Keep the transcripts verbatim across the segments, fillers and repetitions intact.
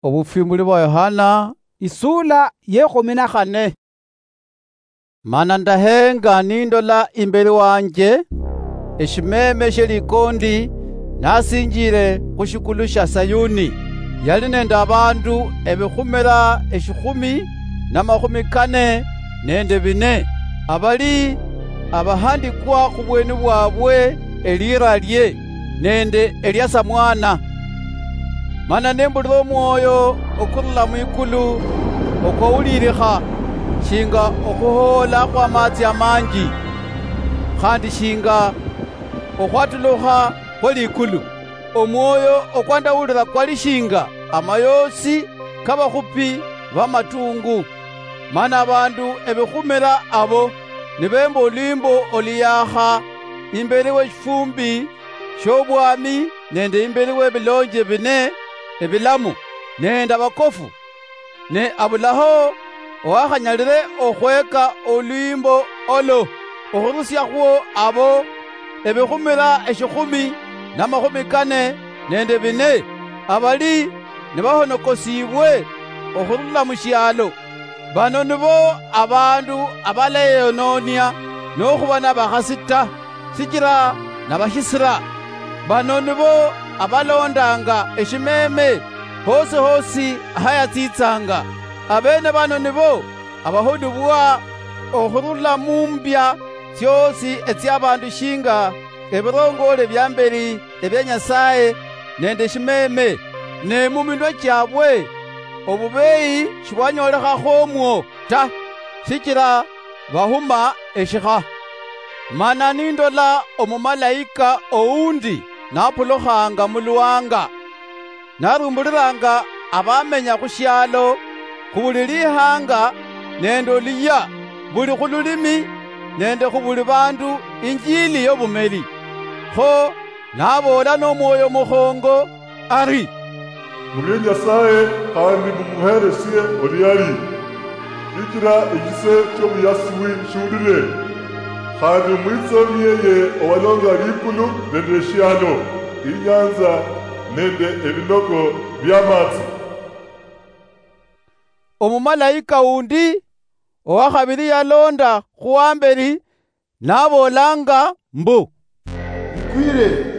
Obufwimbuli bwa Yohana, isula yekhumi na khane. Mana ndahenga nindola imbeli wanje eshimeme shie likondi nasinjile khu shikulu shia Sayuni, yali nende abandu ebikhumila eshikhumi na makhumi kane nende bine, abali abahandikwa khubweni bwabwe elira lie nende elia Samwana. Mana nembulira omwoyo okurula mwikulu okwaulilikha shinga okhuhoola khwamatsi amanji, khandi shinga okhwatulukha khwe likulu. Omwoyo okwandawulira kwali shinga amayoosi kabakhupi bamatungu. Mana abandu ebikhumila abo nibemba olwimbo oluyaakha imbeli weshifumbi shobwami nende imbeli webilonje bine ebilamu nende abakofu. Ne abulaho owakhanyalire okhweka olwimbo olo okhurusiakhwo abo ebikhumila eshikhumi na makhumi kane nende bine abali nibahonokosiibwe okhurula mushialo. Bano nibo abandu abaleyonoonia nokhuba nabakhasi ta, sichila nabashisira. Bano nibo abalondanga eshimeme hosi hosi hayatsitsanga. Abene bano nibo abahulibwa okhurula mumbia tsiosi etsiabandu shinga ebirongoole biambeli ebia Nyasaye nende eshimeme, ne muminwa chiabwe obubeyi shibwanyolekhakho omwo ta, sichila bahuma eshikha. Mana nindola omumalaika oundi napulukhanga muluwanga, narumbulilanga abamenya khushialo, khubuli lihanga nende oluyia, buli khululimi nende khubuli bandu injili yobumeli. Kho naboola nomwoyo mukhongo ari, "Murie Nyasaye khandi mumuheresie oluyali, shichila eshise chiobuyasibwi shiulire, khandi omwitsomi yeye owalonga likulu nende eshialo, inyanza nende ebinoko biamatsi." Omumalaika undi owakhabili yalonda khuwambeli naboolanga mbu, "Likwire!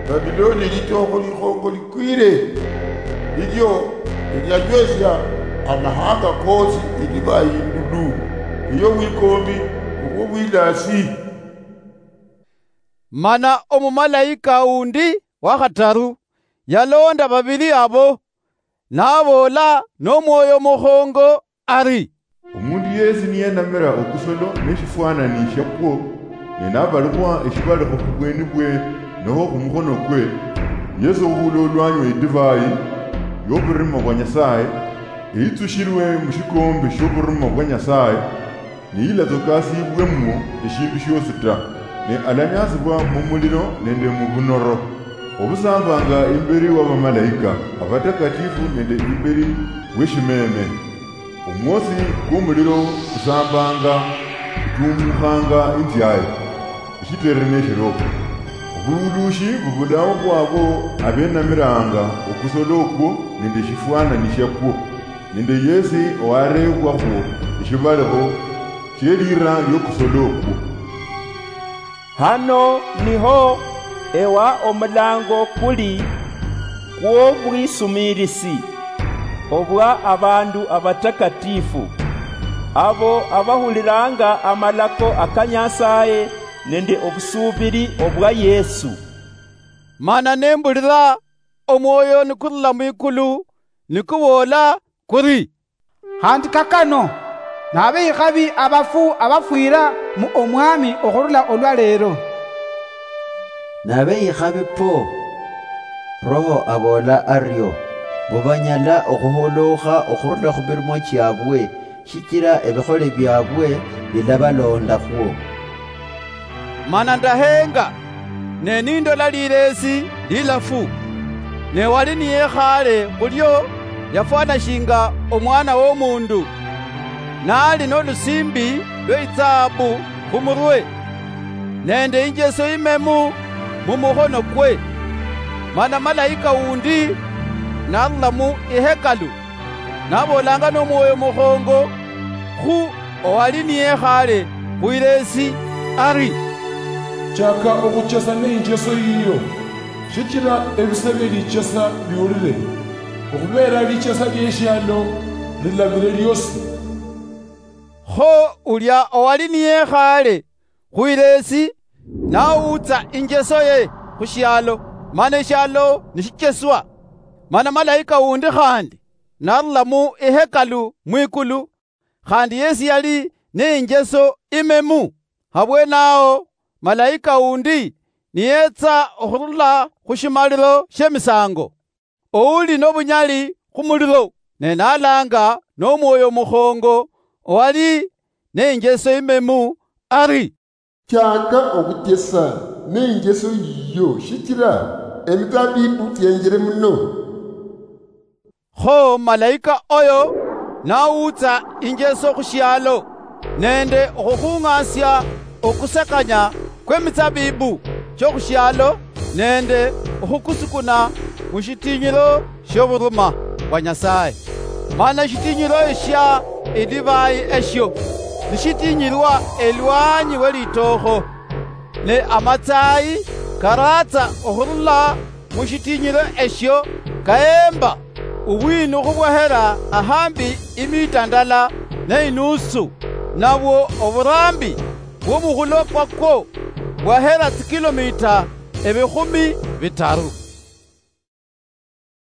Babiloni litookho likhongo likwire, lilio eliachwesia amahanga koosi edivai indulu eyobwikombi obwobwilaasi." Mana omumalaika undi wakhataru yalonda babili abo, naboola nomwoyo mukhongo ari, "Omundu yesi niyenamira okusolo neshifwanani shiakwo, ne nabalikhwa eshibalekho khubweni bwe noho khumukhonokwe, yesi ohuula olwanywa idivai yoburimo bwa Nyasaye, eyitsushilwe mushikombe shioburimo bwa Nyasaye, niyilatsokasibwemwo eshindu shiosi ta, ne alanyasibwa mumulilo nende mubunoro, obusambanga imbeli wabamalaika abatakatifu nende imbeli weshimeme. Omwosi kwomulilo kusambanga kutumukhanga inziaye, eshitere neshiroko. Obululushi bubulao bwabo abenamiranga okusolo okwo nende eshifwanani shiakwo, nende yesi owarebwakhwo eshibalekho shielira liokusolo okwo." Hano niho ewa omulango kuli kwobwisumirisi obwa abandu abatakatifu, abo abahulilanga amalako aka Nyasaye nende obusuubili obwa Yesu. Mana nembulira omwoyo nikurula mwikulu nikuboola kuri, "Khandi kakano, nabe ikhabi abafu abafwira mu Omwami okhurula olwa leero." Nabe ikhabi po, Roho aboola ario, mbu banyala okhuhuluukha okhurula khu mirimo chiabwe, shichila ebikhole biabwe bilabalondakhwo. Mana ndahenga, ne nindola lileesi lilafu, ne wali niyekhale khulio yafwana shinga omwana womundu, nali nolusimbi lwe itsahabu khumurwe, nende injeso imemu mumukhonokwe. Mana malaika wundi narula mu ihekalu, naboolanga nomwoyo mukhongo khu owali niyekhaale khwileesi ari, "Chaka okhuchesa neinjeso yiyo, shichila ebise bielichesa biulile, okhubeela lichesa lieshialo lilabile liosi." Kho ulia owali niyekhaale khwileesi nawuutsa injeso ye khushialo, mana eshialo nishicheswa. Mana malaika wundi khandi narula mu ihekalu mwikulu, khandi yesi yali neinjeso imemu. Habwenaho malaika wundi niyetsa okhurula khushimalilo shiemisango, ouli nobunyali khumulilo, ne nalanga nomwoyo mukhongo owali neinjeso imemu ari, "Chaka okhuchesa neinjeso yiyo, shichila emitsabibu chienjile muno." Kho malaika oyo nawuutsa injeso khushialo, nende okhukhung'asia okusakanya kwemitsabibu chiokhushialo, nende okhukusukuna mushitinyilo shioburuma bwa Nyasaye. Mana eshitinyilo eshia edivai eshio nishitinyilwa elwanyi welitookho, ne amatsayi karaatsa okhurula mushitinyilo eshio kaemba ubwinukhu bwahera ahambi imita ndala neinusu, nabwo oburambi bwomukhulo kwakwo bwahera tsikilomita ebikhumi bitaru.